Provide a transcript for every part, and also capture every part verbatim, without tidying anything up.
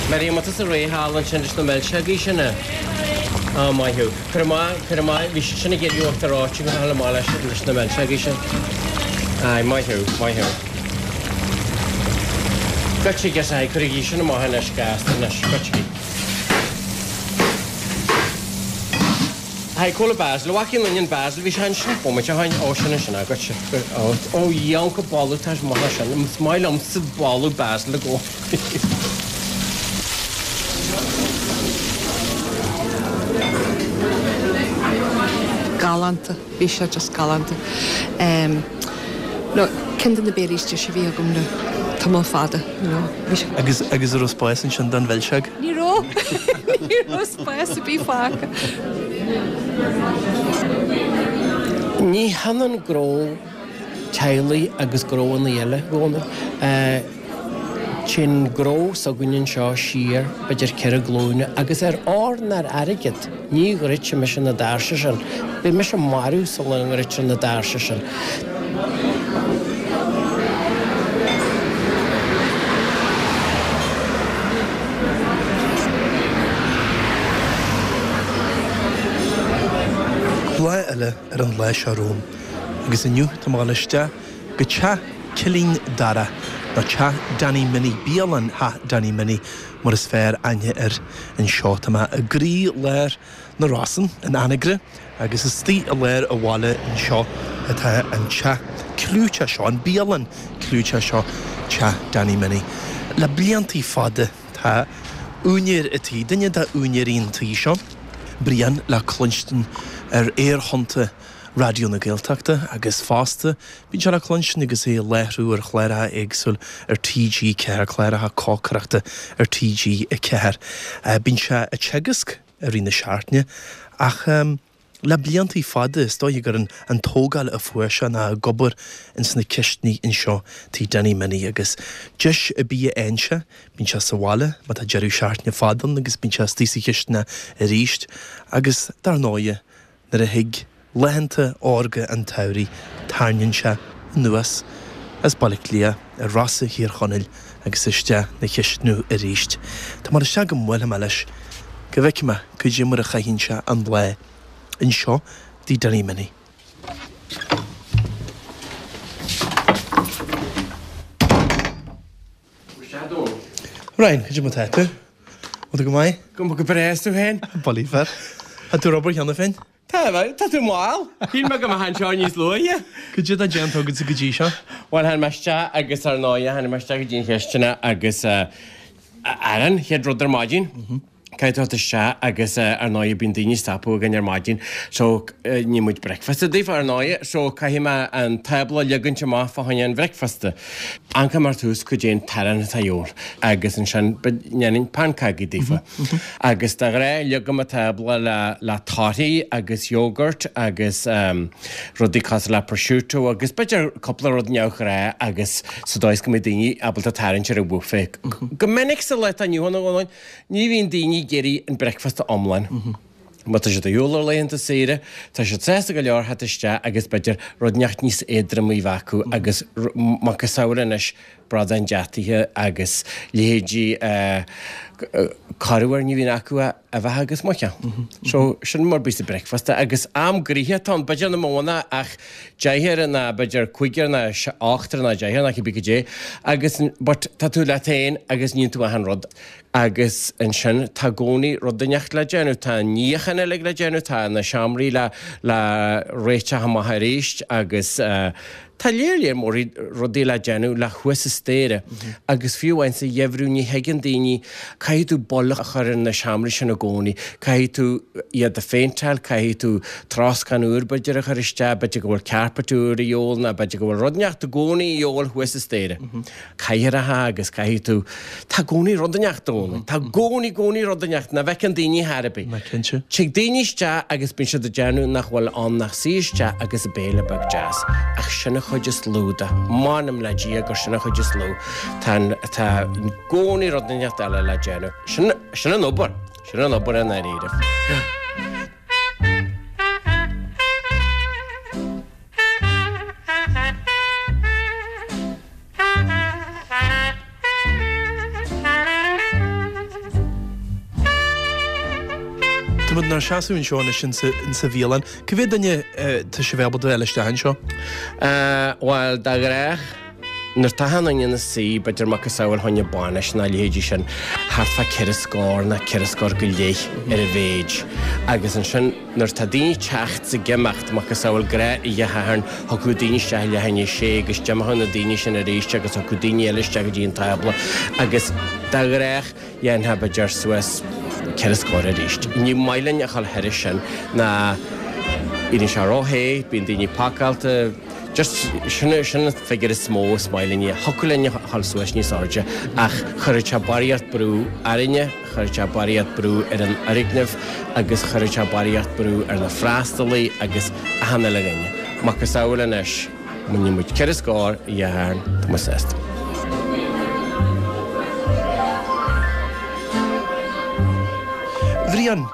Miriam, tá tusa réidh thall ansin leis na milseogaí sin a? Á, maith thú. Cuir amach, cuir amach, bhí siad sin ag iarraidh uachtar reoite go fáil amach leis, leis na milseogaí sin. Aye, maith thú, maith thú. Goitse, aye, cuirigí sin amach anois gasta anois, goitse. Aye, cá bhfuil basil, bhfaca aon duine an basil, bhí sé ansin bomaite ó shin, ó sin ansin, ah, goitse, ó, ó, dheonca boladh, tá sé maith sin, is maith liomsa boladh basil i gcónaí. Galánta, bhí sé just galánta. Um, no, ceann de na béilí is deise a bhí agam le tamall fada, you know. Bhí sé... Agus agus an raibh spás ansin don mhilseog? Ní raibh! Ní raibh spás ar bith fágtha. Ní hionann gnó teaghlaigh agus gnóanna eile, a Dhónaill. Téann gnó s'againne anseo siar b'fhéidir ceithre glúine agus ar ór ná ar airgead ní dhruidfidh mise na doirse sin. Beidh mise marbh sula ndruidtear na doirse sin. Lá eile ar an lá seo romhainn agus inniu tá mé ag dul isteach go teach Cillín Dara, nó Teach Danny Minnie, Bialann Theach Danny Minnie mar is fearr aithne air anseo. Tá mé i gcroí lár na Rosann, in Anagaire, agus istigh i lár an bhaile anseo atá an teach clúiteach seo, an bialann clúiteach seo, Teach Danny Minnie. Le bliantaí fada tá úinéir an tí, duine d'úinéirí an tí seo, Brian, le cluinstin ar aerthonnta Raidió na Gaeltachta agus fosta bíonn sé le cluinstin agus é ag láithriú ar chláracha éagsúil ar T G ceathair, cláracha cócaireachta ar T G a ceathair. Bíonn sé ag teagasc i rith na seachtaine ach le bliantaí fada is dóigh gur an tógáil a fuair sé ná ag obair ins na cistiní anseo Tigh Danny Minnie agus deis ar bith a fhaigheann sé, bíonn sé sa bhaile má tá deireadh seachtaine fada ann agus bíonn sé istigh sa chisteanach arís agus dar ndóighe nuair a thig laethanta órga an tsamhraidh, tarraingíonn sé anuas as Baile Átha Cliath ar Rosa Thír Chonaill agus isteach 'na chistineadh arís. Tá mé isteach go mbuailfidh mé leis go bhfeicfidh mé cad é mar a chaitheann sé an lá anseo dTigh Danny Minnie. Ryan, cad é mar tá tú? Bhfuil tú go maith? Go go breá is tú féin? Bullaí fear. Tá tú ag obair cheana féin? Tá, tá tú mall. Shíl mé go mbeifeá anseo níos luaithe. Cad é atá déanta agatsa go dtí seo? Bhuel, tháinig mé isteach agus ar ndóighe, tháinig mé isteach go dtí an chisteanach agus arán, chéad rud ar maidin. Caithfidh tú theacht isteach agus ar ndóighe bíonn daoine ag stopadh againn ar maidin so ní muid bricfeasta daofa ar ndóighe so caithfidh mé an tábla a leagaint amach fá choinne an bhricfeasta. Amharcaim ar tús cad é an t-arán atá a dhíobháil agus ansin ndéanainn pancógaí daofa. Agus de ghnáth leagaim an tábla le le torthaí agus yogurt agus rudaí cosúil le prosciutto agus b'fhéidir cúpla rud neamhghnáth agus sa dóigh is go mbeidh daoine ábalta tarraingt ar an bhuffet. Go minic sa lá atá inniu ann a Dhónaill, Ní bhíonn daoine ag iarraidh an bricfeasta iomlán. Má tá siad ar shiúl ar laethanta saoire, tá siad sásta go leor theacht isteach agus b'fhéidir rud inteacht níos éadroime a bheith acu agus macasamhail anois bradán deataithe agus leithéidí corruair ní bhíonn acu ach uibheacha agus muiceoil. So sin mar bíos an bricfeasta agus am gnoitheach atá ann, b'fhéidir nach mó ná ach deichniúr ná b'fhéidir cúigear ná ochtar ná deichniúr ná cibé cad é agus but tá tú leat féin agus níonn tú achan rud. Agus ansin tá i gcónaí rud inteacht le déanamh, tá an níochán uilig le déanamh, tá na seomraí le le réiteach amach arís agus tá léar léar mór rudaí le déanamh le thuas an staighre. Agus fiú amháin sa gheimhreadh ní thuigeann daoine, caithfidh tú boilg a chur ar na seomraí sin i gcónaí, caithfidh tú iad a phéinteáil, caithfidh tú troscán úr b'fhéidir a chur isteach, b'fhéidir go bhfuil carpet úr a dhíobháil nó b'fhéidir go bhfuil rud inteacht i gcónaí a dhíobháil thuas an staighre. Cathaoireacha agus caithfidh tú, tá i gcónaí rud inteacht ann, tá i gcónaí, gcónaí rud inteacht nach bhfeiceann daoine chor ar bith. Ná cinnte. Tig daoine isteach agus bíonn siad ag déanamh nach bhfuil ann ach suí isteach agus béile beag deas, ach sin a chuid is lú de. M'anam le Dia gur sin an chuid is lú. Tá tá i gcónaí rud inteacht eile le déanamh. Sin sin an obair. Sin an obair i ndáiríre. Tá muid inár seasamh anseo anois insa insa bhialann. Cá mhéad duine tá sibh ábalta a fháil isteach anseo? Bhuel, de ghnách, nuair atá achan duine ina suí, b'fhéidir macasamhail fá choinne bainis nó a leithéidí sin, thart fá ceithre scór nó ceithre scór go leith ar a mhéid. Agus ansin nuair atá daoine ag teacht is ag imeacht, macasamhail gnáth oíche Shathairn, thiocfadh daoine isteach i leath i ndiaidh a sé agus d'imeodh na daoine sin arís agus thiocfadh daoine eile isteach go dtí an tábla agus de ghnách dhéanfá b'fhéidir suas ceithre scór arís. Ní maith linn a dhul thairis sin ná éiríonn sé ró-the, bíonn daoine pacáilte, just sin sin an figiúr is mó is maith linn é. Thiocfadh linn a dhul suas níos airde ach chuirfeadh sé barraíocht brú orainne, chuirfeadh sé barraíocht brú ar an fhoirgneamh agus chuirfeadh sé barraíocht brú ar na freastalaí agus achan uile dhuine. Macasamhail anois, má bhíonn muid ceithre scór oíche Shathairn, tá muid sásta. Bhriain,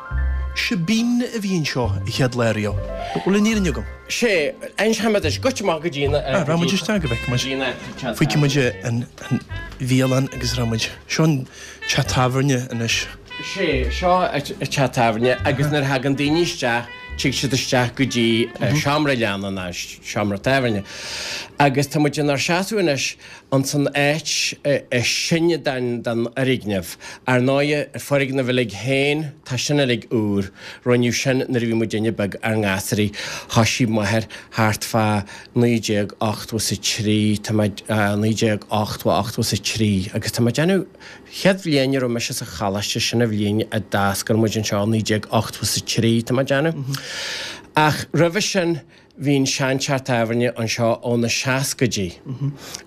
Shebeen a bhí anseo an chéad lá riamh. Bhfuil an fhírinne agam? Sé, inseoidh mé duit, goitse amach go dtí na. Ah, rachaidh muid isteach go bhfeicfidh muid. Feicfidh muid an bhialann agus rachaidh muid. Seo an teach tábhairne anois. Sé, seo an teach tábhairne agus nuair a thagann daoine isteach, tig siad isteach go dtí seomra leanna nó seomra tábhairne. Agus tá muid inár seasamh anois ins an áit is sine den fhoirgneamh. Ar ndóighe, an foirgneamh uilig féin, tá sin uilig úr. Rinneadh sin nuair a bhí muidinne beag ár ngasúraí. Thoisigh m'athair thart fá naoi déag ochtó is a trí, tá mé, naoi déag ochtó, ochtó is a trí, agus tá mé ag déanamh, chéad bhliain a raibh mise sa choláiste, sin an bhliain a d'oscail muid anseo, naoi déag ochtó is a trí, tá mé ag déanamh. Ach roimhe sin, Bhí an seanteach tábhairne anseo ó na seascaidí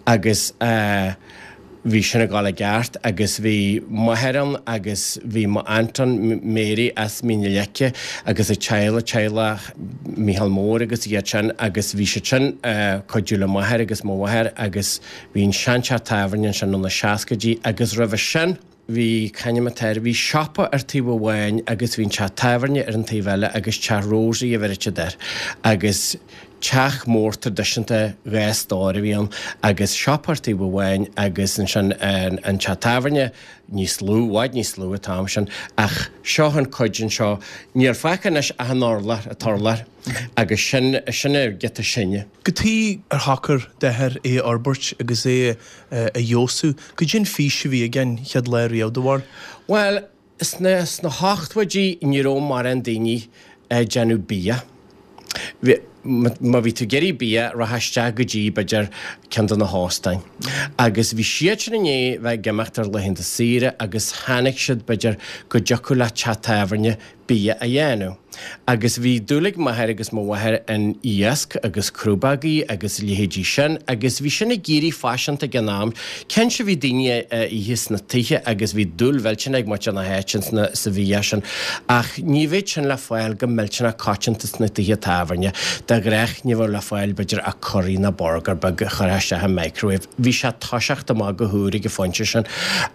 agus bhí sin ag dul i gceart agus bhí m'athair ann agus bhí m'aunt ann, Mary as Mín na Leice agus a teaghlach, teaghlach Mícheál Mór agus iad sin agus bhí siad sin ag cuidiú le m'athair agus mo mháthair agus bhí an seanteach tábhairne ansin ó na seascaidí agus roimhe sin, bhí, c'ainm atá air, bhí siopa ar taobh amháin agus bhí an teach tábhairne ar an taobh eile agus teach Rosie a bheireadh siad air agus teach mór traidisiúnta dhá stór a bhí ann agus siopa ar taobh amháin agus ansin an an teach tábhairne níos lú, i bhfad níos lú an t-am sin ach seo an cuid anseo, níl fágtha anois ach an urlár, an t-urlár agus sin, sin an giota sine. Cad chuige ar shocair d'athair é a fhorbairt agus é a fheabhsú. Cad é an fís a bhí aige an chéad lá riamh, do bharúil? Bhuel, sna, sna hochtóidí ní raibh mórán daoine ag déanamh bia. Bhí, má bhí tú ag iarraidh bia, rachfá isteach go dtí, b'fhéidir, ceann de na hóstáin. Agus bhí siad sin i ndiaidh bheith ag imeacht ar laethanta saoire agus chonaic siad, b'fhéidir, go dtiocfadh le teach tábhairne bia a dhéanamh. Agus bhí dúil ag m'athair agus mo mháthair in iasc agus crúbógaí agus a leithéidí sin agus bhí sin ag éirí faiseanta ag an am. Cinnte bhí daoine á ithe sna tithe agus bhí dúil mhillteanach ag muintir na háite sa bhia sin ach ní bheadh sin le fáil go millteanach coitianta sna tithe tábhairne. De ghnách ní bheadh le fáil b'fhéidir ach curry nó burger beag a chuirfeá isteach i microwave. Bhí sé ag toiseacht amach go húr ag an phointe sin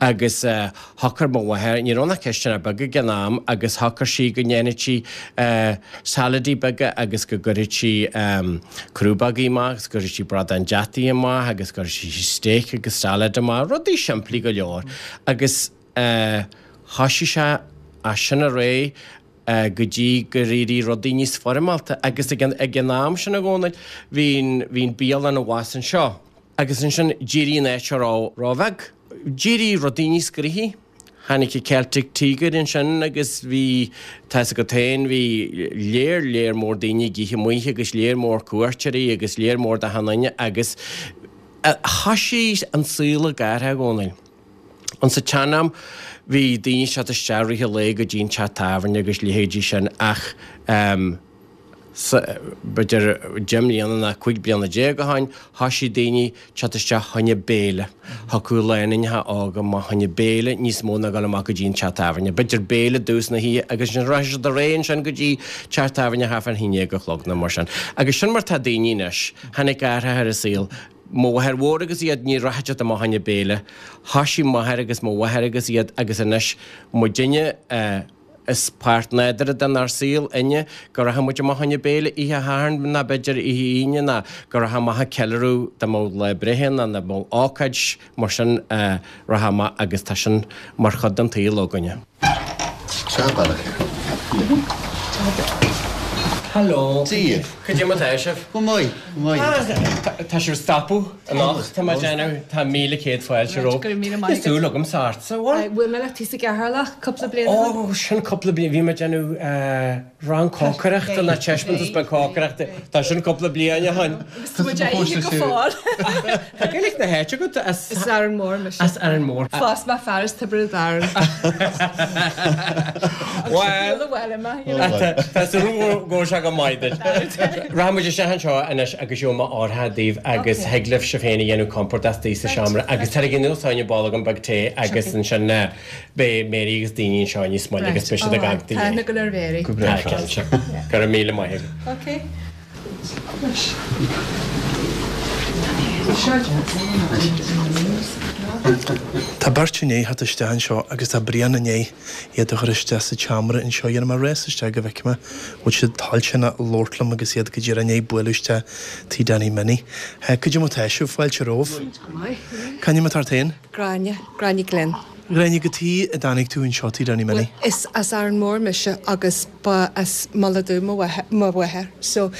agus shocair mo mháthair, ní raibh ann ach cistineach beag ag an am agus shocair sí go ndéanfadh sí saladaí beaga agus go gcuirfeadh sí crúbógaí amach agus go gcuirfeadh sí bradán deataigh amach agus go gcuirfeadh sí steak agus salad amach, rudaí simplí go leor. Agus thoisigh sé as sin ar aghaidh go dtí gur éirigh rudaí níos foirmeálta agus ag an ag an am sin a Dhónaill bhí an bhí an bialann abhus anseo agus ansin d'éirigh an áit seo ró róbheag. D'éirigh rudaí níos gnoithí. Tháinig an Celtic Tiger ansin agus bhí, tá 'fhios agat féin, bhí léar, léar mór daoine ag ithe amuigh agus léar mór cuairteoirí agus léar mór d'achan duine agus thoisigh an saol ag athrú, a Dhónaill. Insa tsean-am bhí daoine ag teacht isteach i rith an lae go dtí an teach tábhairne agus leithéidí sin ach, B'fhéidir deich mbliana ná cúig bliana déag ó shin, thoisigh daoine teacht isteach choinne béile. Thiocfadh lánúineacha óga amach choinne béile níos mó ná dul amach go dtí an teach tábhairne. B'fhéidir béile i dtús na hoíche agus ansin rachadh siad ar aghaidh ansin go dtí teach tábhairne thart fán haon déag a chlog nó mar sin. Agus sin mar tá daoine anois. Tháinig athrach ar an saol. Mo mháthair mhór agus iad, ní rachadh siad amach choinne béile. Thoisigh m'athair agus mo mháthair agus iad agus anois muidinne, Is páirt nádúrtha denár saol inniu go rachadh muid amach choinne béile oíche Shathairn ná b'fhéidir oíche Aoine ná go rachadh amach ag ceiliúradh dá mbeadh lá breithe ná dá mbeadh ócáid mar sin rachadh amach agus tá sin mar chuid den tsaol againne. Seo an bealach air. Hello. Dia dhaoibh. Cad é mar tá sibh? Go maith, go maith. Tá sibh ag stopadh anocht, tá mé ag déanamh, tá míle céad fáilte romhaibh. Go raibh míle maith Tá súil agamsa ortsa, bhfuil? Bhuail mé leat thíos i gCeatharlach cúpla bliain ó shin. Ó, sin cúpla bliain, bhí mé ag déanamh rang cócaireachta nó taispeántas beag cócaireachta, tá sin cúpla bliain ó shin. Agus tá muid á ithe go fóill. Tá Gaeilge na háite agat as. As Árainn Mhór mise. As Árainn Mhór. Phós mé fear as Tiobraid Árann. Bhuel, tá súil agam go bhfuil sé go maith duit. Rachaidh muid isteach anseo anois agus gheobhaidh mé árthach daoibh agus thig libh sibh féin a dhéanamh compordach istigh sa seomra agus tar anuas fá choinne boilgeán beag tae agus ansin beidh Mary agus daoine anseo níos moille agus beidh siad ag amharc Tá aithne go leor Mary. Go breá. Tá cinnte. Go raibh míle maith agat. Ok. Tá beirt i ndiaidh theacht isteach anseo agus tá Brian i ndiaidh iad a chur isteach sa tseomra anseo. Dhéanfaidh mé rás isteach go bhfeicfidh mé bhfuil siad toilteanach labhairt liom agus iad go díreach i ndiaidh bualadh isteach Tigh Danny Minnie. Cad é mar tá sibh? Fáilte romhaibh. C'ainm atá ort féin? Gráinne, Gráinne Glynn. Gráinne, cad chuige a dtáinig tú anseo Tigh Danny Bhuel, Minnie? is as Árainn Mhór mise agus ba as Mullach Dubh mo mháthair so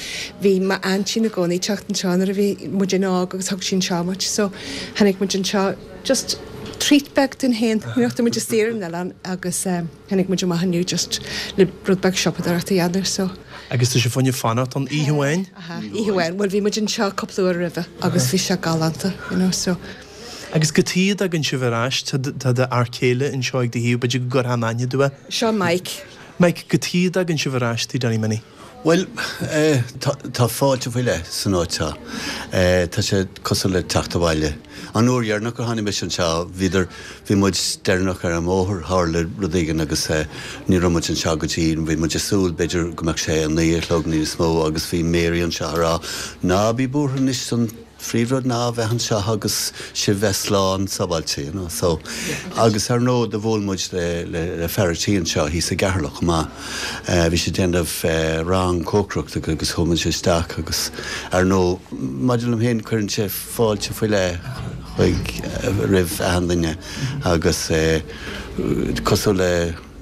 bhí m'aintín i gcónaí teacht anseo nuair a bhí muidinne óg agus thug sí anseo muid so tháinig muid anseo just treat beag dúinn féin, you know, tá muid istigh ar an oileán agus tháinig muid amach inniu just le rud beag siopadóireachta a dhéanamh so. Agus tá sibh fá choinne fanacht ann oíche amháin? Aha, oíche amháin. Bhuel bhí muid anseo cúpla uair roimhe agus bhí sé galánta, you know, so. Agus cad chuige a dtagann sibh ar ais? Tá d'fhear céile anseo ag do thaobh, b'fhéidir go gcuirfeá in aithne domh é. Seo Mike. Mike, cad chuige a dtagann sibh ar ais Tigh Danny Minnie? Bhuel, tá fáilte faoi leith san áit seo. Tá sé cosúil le teacht abhaile. An uair dheireanach gur tháinig mise anseo, bhíodar, bhí muid deireanach ar an mbóthar, tharla rud éigin agus ní raibh muid anseo go dtí, bhí muid ag súil b'fhéidir go mbeadh sé a naoi a chlog níos mó agus bhí Mary anseo ag rá, ná bí buartha anois an phríomhrud ná a bheith anseo agus sibh bheith slán sábháilte, you know, so agus ar ndóigh do bhuail muid le le le fear a' tí anseo thíos i gCeatharlach chomh maith, bhí sé ag déanamh rang cócaireachta agus chuaigh muid isteach agus ar ndóigh maidir liom féin cuireann sé fáilte faoi leith chuig roimh achan duine agus cosúil le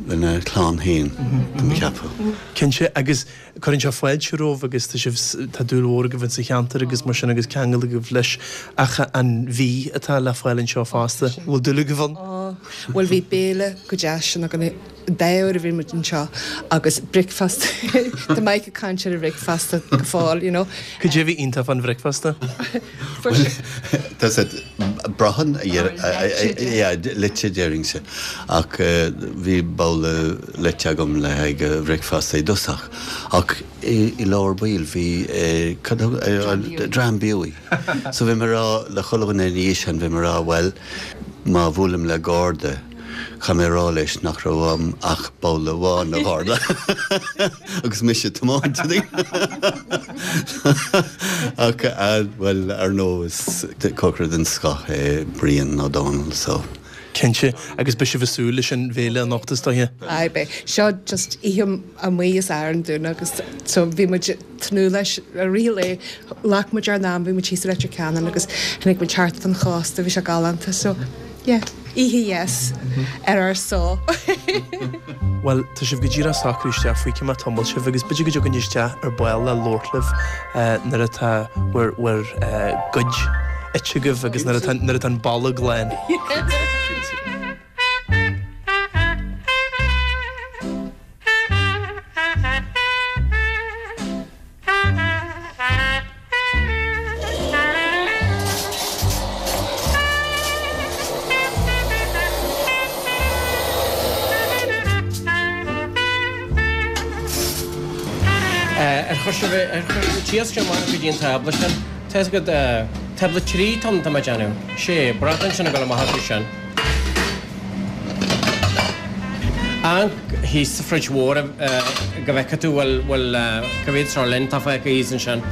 lena chlann féin, tá mé ag ceapadh. Cinnte, agus cuireann sé fáilte romhaibh agus tá sibh, tá dúil mhór agaibh insa cheantar agus mar sin agus ceangal agaibh leis ach an bhia atá le fáil anseo fosta, bhfuil dúil agaibh ann? Ó, bhuel bhí béile go deas sin againn an dá uair a bhí muid anseo agus bricfeasta, tá Mike ag caint ar an bhricfeasta go fóill, you know. Cad é a bhí iontach fán bhricfeasta? Tá sé brochan a leite déarfainnse ach bhí babhla leite agam le haghaidh bhricfeasta i dtosach ach i lár baill bhí cad a Dram Buí. So bhí mé ag rá le chuile dhuine ina dhiaidh sin bhí mé ag rá bhuel má bhuailim le garda Chaith mé a rá leis nach raibh uaim ach babhla amháin, a gharda, agus mise ag tiomáint. Ach, bhuel, ar ndóigh, is cócaire den scoth é Brian Ó Dónaill, so. Cinnte, agus beidh sibh ag súil leis an bhéile anocht, is dóiche? Aye, beidh. Seo just oíche amuigh as Árainn dúinn agus so bhí muid ag tnúth leis i rith an lae. Ghlac muid ár n-am, bhí muid thíos i Leitir Ceanainn agus tháinig muid thart fán chósta, bhí sé galánta, so yeah. Oíche dheas ar ár só. Bhuel, tá sibh go díreach socrú isteach, feicfidh mé tamall sibh agus b'fhéidir go dtiocfainn isteach ar ball le labhairt libh nuair atá bhur bhur gcuid ite agaibh agus nuair atá nuair atá an bolg lán. Ar chuir sibh ar chuir sibh t-iasc amach go dtí an tábla sin? Tá fhios agat, tábla trí tá tá mé ag déanamh. Sé, bradán sin ag dul amach acu sin. Amharc thíos sa fridge mhór go bhfeicfidh tú bhfuil bhfuil cá mhéad sirloin atá fágtha thíos ansin.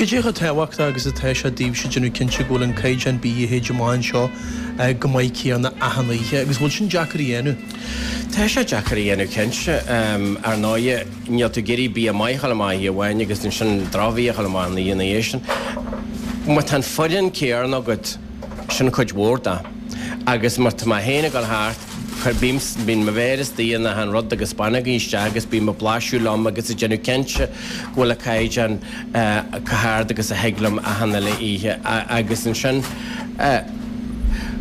Cad é chomh tábhachtach agus atá sé daoibhse déanamh cinnte go bhfuil an caighdeán bídh a théid amach anseo chomh maith céanna achan oíche agus bhfuil sin deacair a dhéanamh? Tá sé deacair a dhéanamh cinnte. Ar ndóighe, níl tú ag iarraidh bia maith a dhul amach oíche amháin agus ansin drochbhia a dhul amach an oíche ina dhiaidh sin. Má tá an foireann céanna agat, sin cuid mhór de. Agus má tá mé féin ag dul thart, Cuir, bím, bíonn mo mhéar istigh in achan rud agus bainigí isteach agus bím ag blaiseadh liom agus ag déanamh cinnte go bhfuil an caighdeán chomh hard agus a thig liom achan uile oíche agus ansin,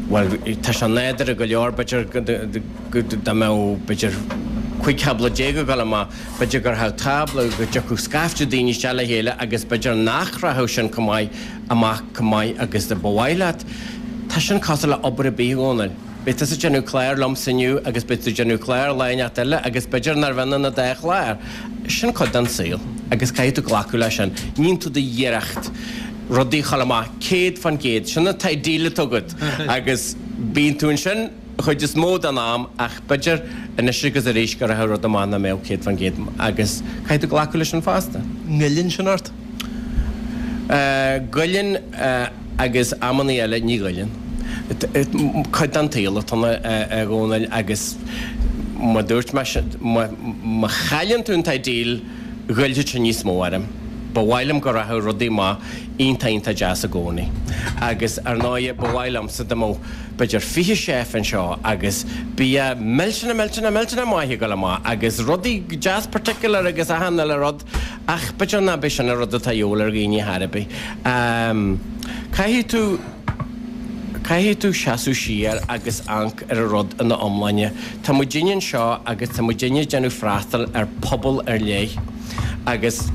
bhuel, tá sé nádúrtha go leor, b'fhéidir go, dá mbeadh, b'fhéidir, cúig thábla déag ag dul amach, b'fhéidir go rachadh tábla, go dtiocfadh scaifte daoine isteach le chéile agus b'fhéidir nach rachadh sin chomh maith amach chomh maith agus a ba mhaith leat. Tá sin cosúil le obair ar bith, a Dhónaill. Beidh tusa ag déanamh clár liomsa inniu agus beidh tú ag déanamh clár lá inteacht eile agus b'fhéidir nár bh'ionann an dá chlár. Sin cuid den saol agus caithfidh tú glacadh leis sin. Níonn tú d'iarracht rudaí a chur amach céad fán gcéad, sin an teideal atá agat agus bíonn tú ansin an chuid is mó den am ach b'fhéidir anois agus arís go rachadh rud amach nach mbeadh céad fán gcéad agus caithfidh tú glacadh leis sin fosta. Ngoilleann sin ort? Goilleann agus amannaí eile ní ghoilleann. Cuid den tsaol atá ann, a Dhónaill, agus mar dúirt mé, má chailleann tú an teideal, ghoillfeadh sé níos mó orm. Ba mhaith liom go rachadh rudaí amach iontach iontach deas i gcónaí. Agus ar ndóighe, ba mhaith liomsa dá mbeadh b'fhéidir fiche chef anseo agus bia millteanach millteanach millteanach maith ag dul amach agus rudaí deas particular agus achan uile rud ach b'fhéidir nach b'é sin an rud atá a dhíobháil ar dhaoine chor ar bith. Caithfidh tú. Caithfidh tú seasamh siar agus amharc ar an rud ina iomláine. Tá muidinne anseo agus tá muidinne ag déanamh freastal ar phobal ar leith agus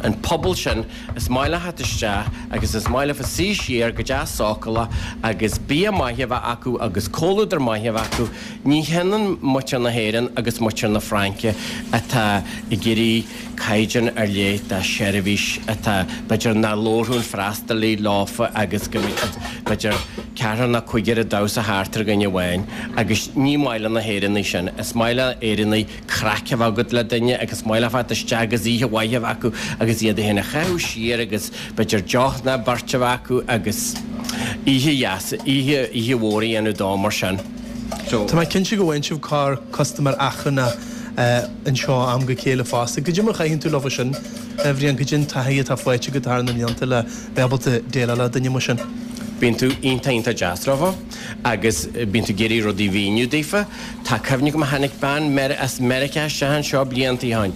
an pobal sin, is maith leo theacht isteach agus is maith leofa suí siar go deas sócúlach agus bia maith a bheith acu agus comhluadar maith a bheith acu. Ní hionann muintir na hÉireann agus muintir na Fraince atá ag iarraidh caighdeán ar leith de sheirbhís atá, b'fhéidir, nach labharfadh an freastalaí leofa agus go mbeadh, b'fhéidir, ceathrar nó cúigear ag damhsa thart ar dhuine amháin agus ní maith le na hÉireannaigh sin. Is maith le Éireannaigh craic a bheith agat le duine agus is maith leo theacht isteach agus oíche mhaith a bheith acu agus iad féin a chaitheamh siar agus, b'fhéidir, deoch nó beirt a bheith acu agus oíche dheas, oíche, oíche mhór a dhéanamh dó mar sin. Tá mé cinnte go bhfaigheann sibh corr custaiméir achrannach anseo ó am go chéile fosta. Cad é mar a chaitheann tú leo sin, a Bhriain? Cad é an taithí atá faighte agat thar na mblianta le bheith ábalta déileáil le duine mar sin? Bíonn tú iontach iontach deas leo agus bíonn tú ag iarraidh rudaí a mhíniú daofa. Tá cuimhne agam tháinig bean as Meiriceá isteach anseo blianta ó shin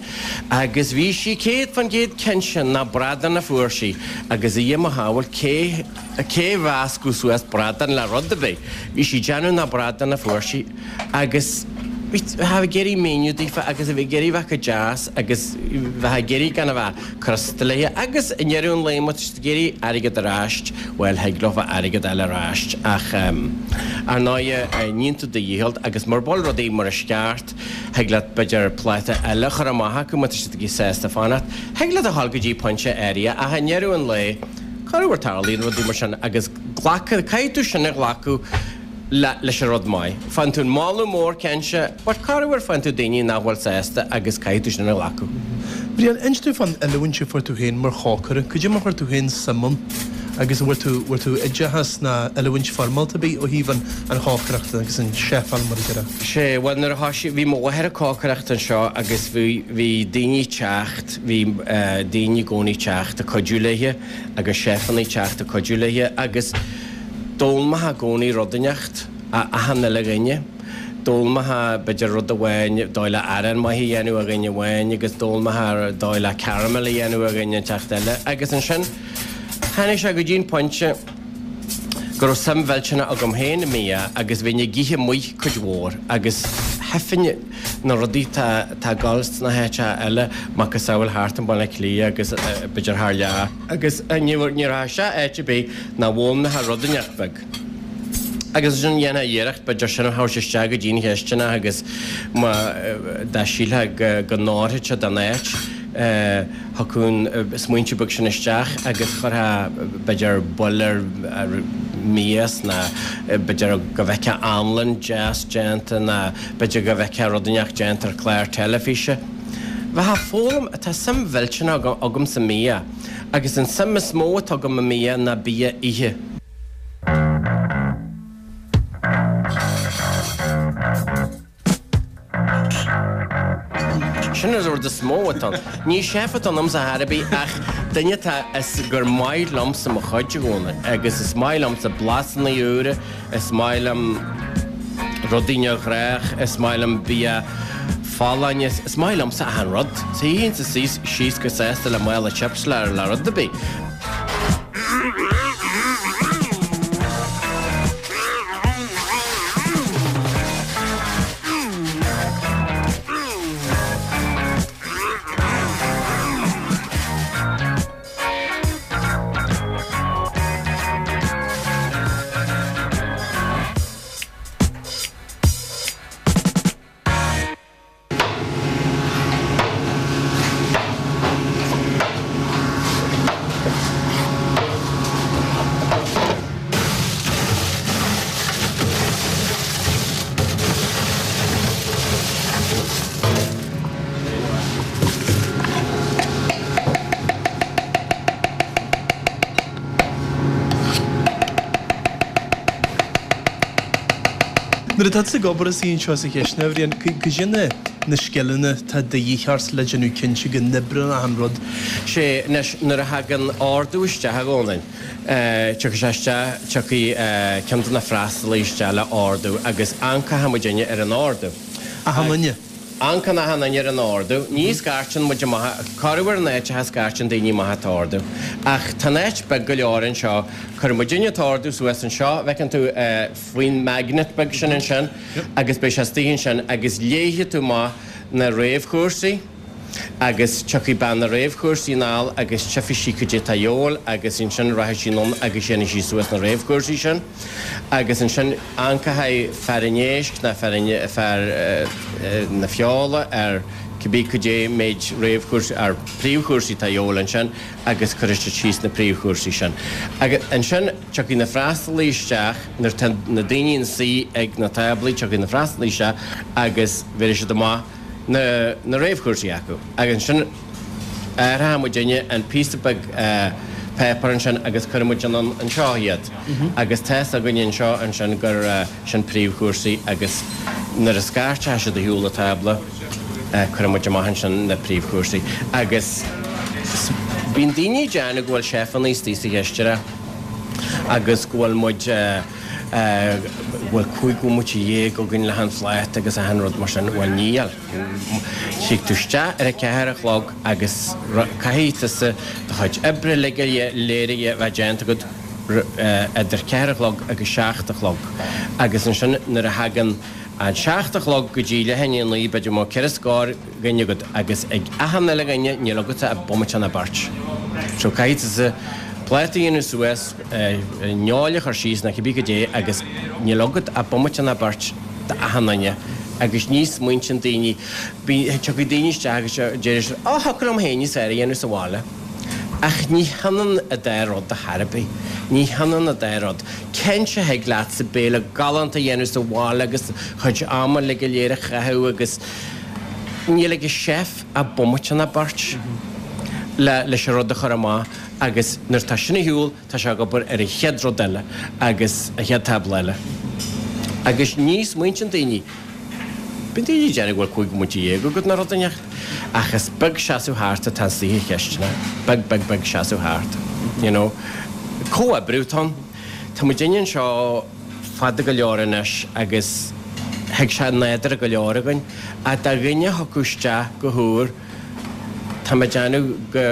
agus bhí sí céad fán gcéad cinnte nach bradán a fuair sí agus a Dhia mo shábháil cé Cé a mheascfadh suas bradán le rud ar bith? Bhí sí ag déanamh nach bradán a fuair sí agus bhí ag iarraidh míniú daofa agus a bhí ag iarraidh bheith go deas agus bheith ag iarraidh gan a bheith crosta léi agus i ndeireadh an lae má tá siad ag iarraidh airgead ar ais, bhuel thig leofa airgead a fháil ar ais ach ar ndóighe níonn tú do dhícheall agus mura bhfuil rudaí mar is ceart thig leat b'fhéidir pláta eile a chur amach acu má tá siad ag sásta fanacht. Thig leat a dhul go dtí pointe áirithe ach i ndeireadh an lae Corruair tarlaíonn rudaí mar sin agus glacadh, caithfidh tú sin a ghlacadh le, leis an rud maith. Faigheann tú an moladh mór cinnte, but corruair faigheann tú daoine nach bhfuil sásta agus caithfidh tú sin a ghlacadh. Brian, inis dúinn fán oiliúint a fuair tú féin mar chócaire. Cad é mar chuir tú féin suim ann agus an bhfuair tú, bhfuair tú oideachas ná oiliúint foirmeálta ar bith ó thaobh an, an chócaireachta agus an chefáil mar a déarfá? Sea, bhuel nuair a thoisigh, bhí mo mháthair ag cócaireacht anseo agus bhí, bhí daoine ag teacht, bhí daoine i gcónaí ag teacht ag cuidiú léithe. agus cheifanna ag teacht ag cuidiú léithe agus d'fhoghlaimeofá i gcónaí rud inteacht ó achan uile dhuine. D'fhoghlaimeofá b'fhéidir rud amháin, dóigh le arán maith a dhéanamh ó dhuine amháin agus d'fhoghlaimeofá dóigh le caramel a dhéanamh ó dhuine inteacht eile agus ansin tháinig sé go dtí an pointe go raibh suim mhillteanach agam féin i mbia agus bhínn ag ithe amuigh cuid mhór agus thuigfinn na rudaí tá tá ag dul sna háiteacha eile, macasamhail thart i mBaile Átha Cliath agus b'fhéidir thar lear. Agus ní ní raibh sé áit ar bith nach bhfoghlaimeofá rud inteacht beag. Agus ansin dhéanfá iarracht b'fhéidir sin a thabhairt isteach go dtí an chisteanach agus má dá sílfeá go go n-oirfeadh sé don áit, thiocfadh an smaointiú beag sin isteach agus chuirfeá b'fhéidir buille ar mhias nó b'fhéidir go bhfeicfeá anlann deas déanta nó b'fhéidir go bhfeicfeá rud inteacht déanta ar chlár teilifíse. Bheifeá ag foghlaim, tá suim mhillteanach agam sa mbia agus an suim is mó atá agam i mbia ná bia oíche. Sin an rud is mó atá ann. Ní chef atá ionamsa chor ar bith ach duine atá is gur maith liomsa mo chuid i gcónaí agus is maith liomsa blasanna úra, is maith liom rudaí neamhghnách, is maith liom bia folláin, is maith liomsa achan rud. Shuífinnse síos go sásta le mála chips le le rud ar bith. Nuair atá tú ag obair istigh anseo sa chistin, a Bhriain, cad é na na scileanna atá de dhíth ort le déanamh cinnte go n-oibreann achan rud? Sé, anois, nuair a thagann ordú isteach, a Dhónaill, tiocfaidh sé isteach, tiocfaidh ceann de na freastalaithe isteach le ordú agus amharcfaidh muidinne ar an ordú. Achan duine? Amharcann achan duine ar an ordú. Ní scairteann muid amach, corruair in áiteacha scairteann daoine amach an t-ordú. Ach tá an áit beag go leor anseo, cuireann muidinne an t-ordú suas anseo, bhfeiceann tú faoin magnet beag sin ansin agus beidh sé istigh ansin agus léifidh tú amach na réamhchúrsaí agus tiocfaidh bean na réamhchúrsaí anall agus tchífidh sí cad é atá a dhíobháil agus ansin rachaidh sí anonn agus déanfaidh sí suas na réamhchúrsaí sin agus ansin amharcfaidh fear an éisc ná fear an, fear na feola ar cibé cad é méid réamhchúrsaí, ar príomhchúrsaí atá a dhíobháil ansin agus cuirfidh siad síos na príomhchúrsaí sin. Agus ansin tiocfaidh na freastalaithe isteach nuair atá na daoine ina suí ag na táblaí, tiocfaidh na freastalaithe isteach agus bhéarfaidh siad amach na na réamhchúrsaí acu. Agus ansin athróidh muidinne an píosa beag páipéar ansin agus cuirfidh muid anonn anseo iad. Agus tá's againne anseo ansin gur sin príomhchúrsaí agus nuair a scairteoidh siad ar shiúl an tábla cuirfidh muid amach ansin na príomhchúrsaí. Agus bíonn daoine ag déanamh go bhfuil chef-anna istigh sa chisteanach agus go bhfuil muid go bhfuil cúig bhomaite dhéag againn le an phláta agus achan rud mar sin. Bhuel níl. Tig tú isteach ar a ceathair a chlog agus caithfidh tusa do chuid oibre uilig go léir a bheith déanta agat idir ceathair a chlog agus seacht a chlog. Agus ansin nuair a thagann an seacht a chlog go dtí leath i ndiaidh a naoi, b'fhéidir go mbeadh ceithre scór dhuine agat agus ag achan uile dhuine níl agatsa ach bomaite nó beirt. So caithfidh tusa pláta a dhéanamh suas, feoil a chur síos nó cibé cad é agus níl agat ach bomaite nó beirt d'achan duine agus ní smaointíonn daoine, tiocfaidh daoine isteach agus déarfaidh siad, 'Á, thiocfadh liom féin níos fearr a dhéanamh sa bhaile. Ach ní hionann an dá rud ar chor ar bith. Ní hionann an dá rud. Cinnte thig leatsa béile galánta a dhéanamh sa bhaile agus do chuid ama uilig go léir a chaitheamh agus níl ag an chef ach bomaite nó beirt le leis an rud a chur amach agus nuair atá sin ar shiúl tá sé ag obair ar an chéad rud eile agus an chéad tábla eile. Agus ní smaointíonn daoine, bíonn daoine ag déanamh go bhfuil cúig bhomaite dhéag agat nó rud inteacht, ach is beag seasamh thart atá istigh sa chisteanach, beag beag beag seasamh thart, you know. Comhoibriú atá ann. Tá muidinne anseo fada go leor anois agus thuig sé nádúrtha go leor againn, ach dá dhuine a thiocfadh isteach go húr, tá mé ag déanamh go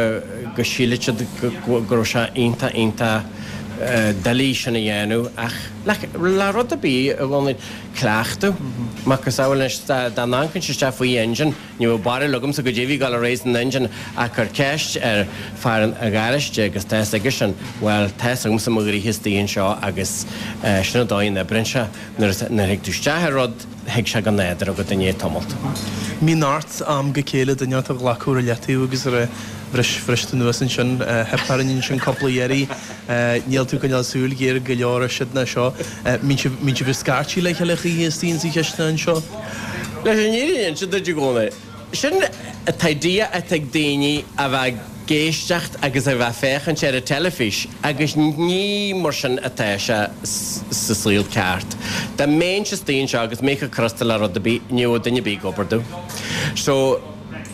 go sílfeadh siad go go raibh sé iontach iontach doiligh sin a dhéanamh ach le rud ar bith a bhfuil cleachtadh. Macasamhail anois dá n-amharcainnse isteach faoi engine, ní bheadh barúil agamsa goidé a bhí ag dul ar aghaidh san engine ach cuir ceist ar fear an gharáiste agus tá fhios aigesean, bhuel, tá fhios agamsa mo ghnoithe istigh anseo agus sin an dóigh a n-oibríonn sé. Nuair a thig tú isteach ar rud, thig sé go nádúrtha agat i ndiaidh tamalt. Mbíonn ort am go chéile duine a ghlacadh ar leataobh agus a rá bhris, bhris tú anuas ansin, theip orainn ansin cúpla iarraidh, níl tú ag coinneáil súil ghéar go leor ar siad ná seo. Mbíonn sibh, mbíonn sibh ag scairtigh le chéile choíche istigh insa chistin anseo? Leis an fhírinne a inse duit i gcónaí, sin an t-idea atá ag daoine a bheith ag éisteacht agus a bheith ag féachaint ar an teilifís agus ní mar sin atá sé sa saol ceart. Dá mbeinnse istigh anseo agus mé chomh crosta le rud ar bith, ní bheadh duine ar bith ag obair domh. So,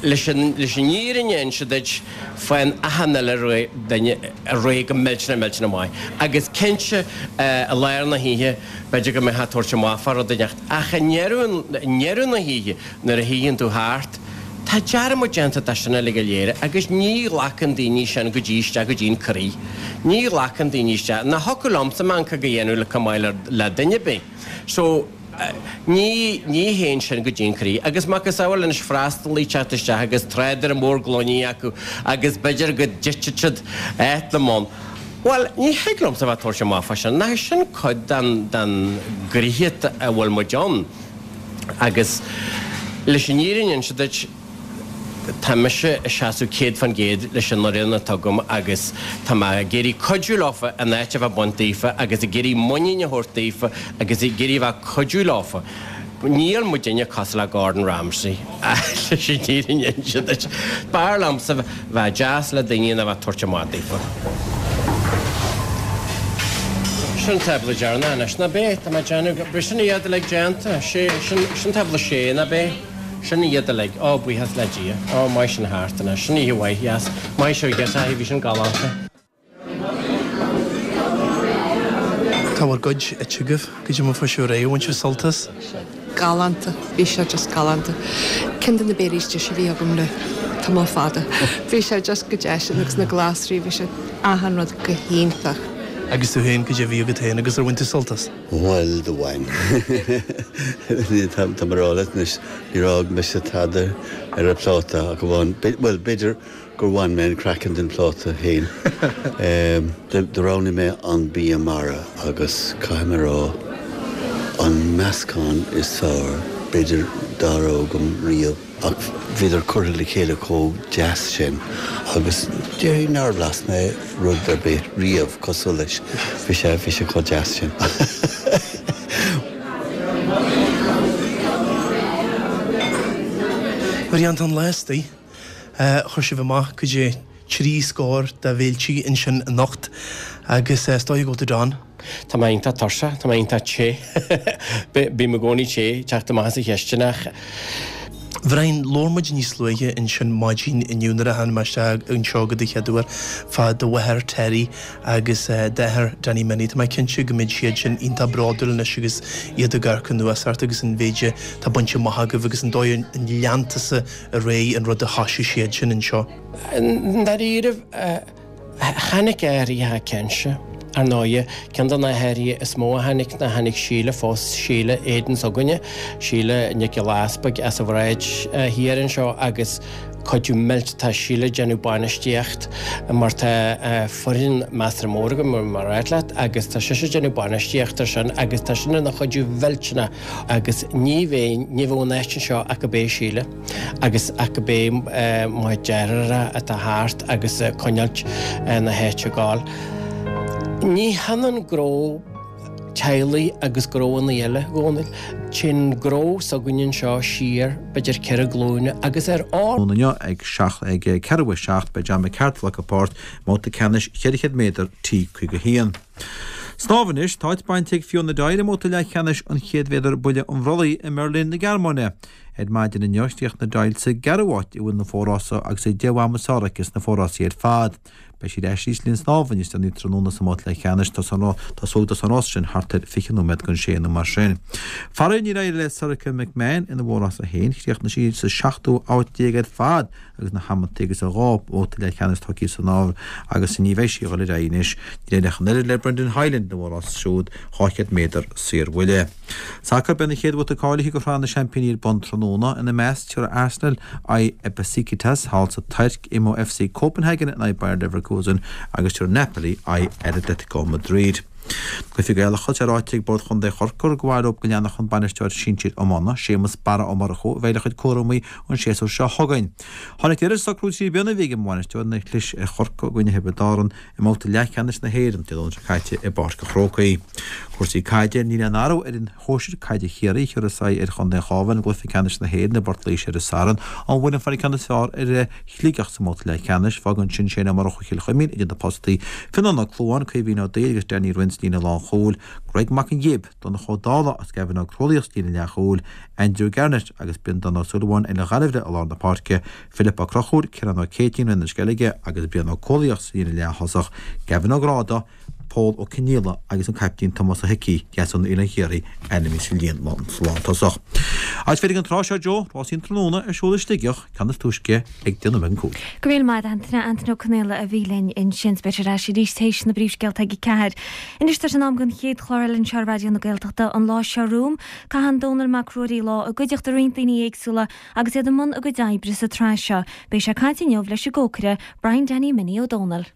leis an leis an fhírinne a inse duit, faigheann achan uile duine réidh go millteanach millteanach maith. Agus cinnte, i lár na hoíche, b'fhéidir go mbeifeá ag tabhairt amach fá rud inteacht, ach i ndeireadh i ndeireadh na hoíche, nuair a shuíonn tú thart, Tá dearmad déanta de sin uilig go léir agus ní ghlacann daoine sin go dtí isteach go dtí an croí. Ní ghlacann daoine isteach. Nach thiocfadh liomsa meancóg a dhéanamh le chomh maith le duine ar bith. So, ní, ní théann sin go dtí an croí. Agus macasamhail anois freastalaí teacht isteach agus trádaire mór gloiní acu agus b'fhéidir go dtitfidh siad át na mbonn. Bhuel, ní thig liomsa bheith ag tabhairt amach fá sin. Nach é sin cuid den, den ghnoithe a bhfuil muid ann? Agus leis an fhírinne a inse duit, tá mise ag seasamh céad fán gcéad leis an fhoireann atá agam agus tá mé ag iarraidh cuidiú leofa an áit a bheith bainte daofa agus ag iarraidh muinín a thabhairt daofa agus ag iarraidh a bheith ag cuidiú leofa. Níl muidinne cosúil le Gordon Ramsay, leis an fhírinne a inse duit. B'fhearr liomsa bheith deas le daoine ná bheith ag tabhairt amach daofa. Sin tábla deireanach anois, ná b'é? Tá mé ag déanamh, b'shin iad uilig déanta. Sé, sin, sin tábla sé, ná b'é? Sin iad uilig. Ó, buíochas le Dia. Ó, maith sin thart anois. Sin oíche mhaith, dheas. Maith sibh, a bhí sin galánta. Tá bhur gcuid ite agaibh, goidé mar a fuair sibh ar aghaidh, bhain sibh sult as? Galánta, bhí sé just galánta. Ceann de na béilí is deise a bhí agam le tamall fada. Bhí sé just go deas agus na glasraí, bhí sé achan rud go hiontach. Agus tú féin, goidé a bhí agat féin agus ar bhain tú sult as? Bhuel, do bhain. Tá mé ag rá leat anois, níor fhág mise tada ar an phláta ach amháin, bhuel, b'fhéidir gur bhain mé an craiceann den phláta féin. Do roghnaigh mé an bia mara agus caithfidh mé a rá, an meascán is fearr b'fhéidir dá raibh agam riamh ach bhíodar curtha le chéile chomh deas sin agus déarfainn nár bhlas mé rud ar bith riamh cosúil leis. Bhí sé, bhí sé chomh deas sin. Bhrian, tá an lá istigh. Chuir sibh amach goidé trí scór de bhéiltí ansin anocht agus is dóigh go bhfuil tú done. Tá mé iontach tuirseach, tá mé iontach te. Bím i gcónaí te, teacht amach as an chistineach. Bhrian, labhair muid níos luaithe ansin maidin inniu nuair a tháinig mé isteach anseo go do chéad uair fá do mháthair Terry agus d'athair Danny Minnie. Tá mé cinnte go mbeidh siad sin iontach bródúil anois agus iad ag amharc anuas ort agus an mhéid atá bainte amach agaibh agus an dóigh a lean tusa ar aghaidh an rud a thoisigh siad sin anseo. I ndáiríribh, tháinig athruithe cinnte. Ar ndóighe, ceann de na hathruithe is mó a tháinig ná tháinig Síle, phós Síle Aidan s'againne, Síle Nic Giolla Easpaig as an Bhráid Thiar anseo agus cuidiú millteanach, tá Síle ag déanamh bainistíocht mar tá foireann measartha mór agam mar a dúirt leat agus tá sise ag déanamh bainistíocht ar sin agus tá sin ina chuidiú mhillteanach agus ní bheinn, ní bheadh an áit anseo ach gurb é Síle. Agus ach gurb é mo dheartháir atá thart agus ag coinneáilt na háite ag gabháil. Ní hionann gnó teaghlaigh agus gnóanna eile, a Dhónaill. Téann gnó s'againne anseo siar b'fhéidir ceithre glúine agus ar ár. Inniu ag seacht ag ceathrú a seacht beidh John McCarthy ag glacadh páirt i mbabhta ceannais cheithre chéad méadar T caoga haon. Snámh anois, tá áit bainte ag Fiona Doyle i mbabhta leathcheannais an chéad mhéadar buille an bhrollaigh i mBeirlín na Gearmáine. Ar maidin inniu, chríochnaigh Doyle sa gceathrú háit i bhfoireann na fo-rása agus é deich bhfad is fearr aici sna fo-rásaí ar fad. Beidh siad ar ais arís linn snámha níos déanaí tráthnóna sa mbabhta leathcheannais. Tosóidh an rás sin thart ar fiche nóiméad don sé nó mar sin. Faraor níor éirigh le Sorcha McMahon ina mhórrása féin. Chríochnaigh sí sa seachtú háit déag ar fad agus na hamantaí agus a dhá bhabhta leathcheannais tugtha san áireamh agus ní bheidh sí ag dul ar aghaidh anois. Níor éirigh ach an oiread le Brendan Hyland ina mhórrás siúd dhá chéad méadar saorbhuille. Sacar, Beidh an chéad bhabhta cáilithe do Shraith na Seaimpíní ar bun tráthnóna. Ina measc, tabharfaidh Arsenal aghaidh ar Besiktas thall sa Tuirc, imeoidh FC Copenhagen in aghaidh Bayer Leverkusen agus tabharfaidh Napoli aghaidh ar Atletico Madrid. Cluichí Gaelacha, Tá ráite ag Bord Chontae Chorcaí gur mhaith leo go leanfadh an bainisteoir sinsir iomána, Séamus Barra Ó Murchú, a bheith le chuid cúramaí an séasúr seo chugainn. Tháinig deireadh le socrú trí bliana a bhí ag an mbainisteoir nuair a chlis ar Chorcaigh i gcoinne Thiobraid Árann i mbabhta leathcheannais na hÉireann Dé Domhnaigh seo caite i bPáirc an Chrócaigh. Cúrsaí caide, Níl aon athrú ar fhoireann shóisir caide Chiarraí a thiúrfas aghaidh ar chontae an Chabháin i gcluiche ceannais na hÉireann i bPort Laoise ar an Satharn. An bhfuair an fear ceann is fearr ar Shligeach sa mbabhta leathcheannais. Fágann sin Shane Ó Murchú Chill Chuimín idir na postaí, Fionnán Ó Clúmháin, Caoimhín Ó Duibhir agus Danny Rynne sa líne lánchúil, Greg Mac an Ghib, Donncha Ó Dálaigh agus Gavin Ó Crólaíoch sa líne leathchúil, Andrew Garnett agus Breandán Ó Súilleabháin ar an Ghaillimh i lár na páirce, Philip Ó Conchúir, Ciarán Ó Céitinn, Rinne Sceilge agus Brian Ó Cólaíoch sa líne leath-thosach, Gavin Ó Gráda, Pól Ó Cionnaola agus an caiptín Tomás Ó hIcí, Deasún Oileán Chiarraí, ainmnithe sa líne lántosach. Agus féadfaidh an tráth seo Joe, rásaí an tráthnóna ar siúl i Sligeach, ceann is túisce ag deich nóiméad don cúig. Go raibh míle maith agat Antaine, Antaine Ó Conaola a bhí linn ansin. Beidh sé ar ais arís théis na bpríomhscéalta ag a ceathair. Anois tá sé in am don chéad chlár eile anseo ar Raidió na Gaeltachta an lá seo romham. Caitheann Dónall Mac Ruairí lá i gcuideachta roinnt daoine éagsúla agus iad i mbun a gcuid oibre sa tsraith seo. Beidh sé ag caint inniu leis an gcócaire Brian Danny Minnie Ó Dónaill.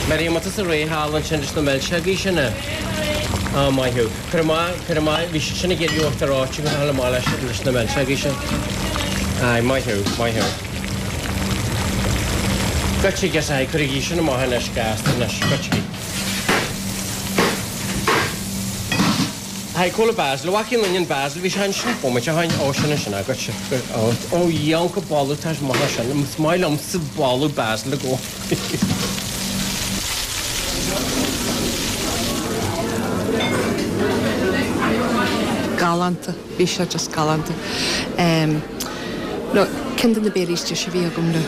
Mary, an bhfuil tusa réidh thall ansin leis na milseogaí sin? Á, maith thú. Cuir amach, cuir amach, bhí siad sin ag iarraidh uachtar reoite go hálainn amach leis, leis na milseogaí sin. Aye, maith thú, maith thú. Goitse, guess aye, cuirigí sin amach anois, gasta anois, goitsigí. Aye, cá bhfuil an basil, an bhfaca aon duine an basil, bhí sé ansin bomaite ó shin, ó sin ansin, aye, goitse, ó, ó, dheonca boladh, tá sé maith sin, is maith liomsa boladh basil i gcónaí. Galánta, bhí sé just galánta. Um, no, ceann de na béilí is deise a bhí agam le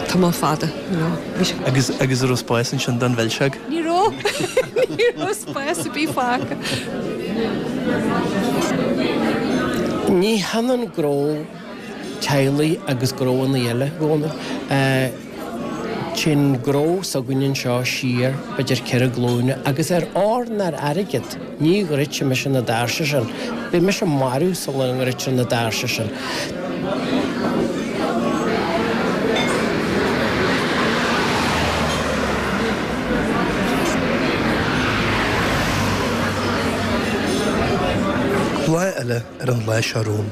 tamall fada, you know, bhí sé. Agus agus an raibh spás ansin don mhilseog? Ní raibh, ní raibh spás ar bith fágtha. Ní hionann gnó teaghlaigh agus gnóanna eile, a Dhónaill. Téann gnó s'againne anseo siar b'fhéidir ceithre glúine agus ar ór ná ar airgead ní dhruidfidh mise na doirse sin. Beidh mise marbh sula ndruidtear na doirse sin. Lá eile ar an lá seo romham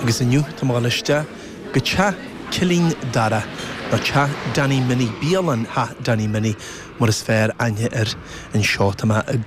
agus inniu tá mé ag dul isteach go teach Cillín Dara, nó Teach Danny Minnie, bialann Theach Danny Minnie mar is fearr aithne air anseo. Tá mé i.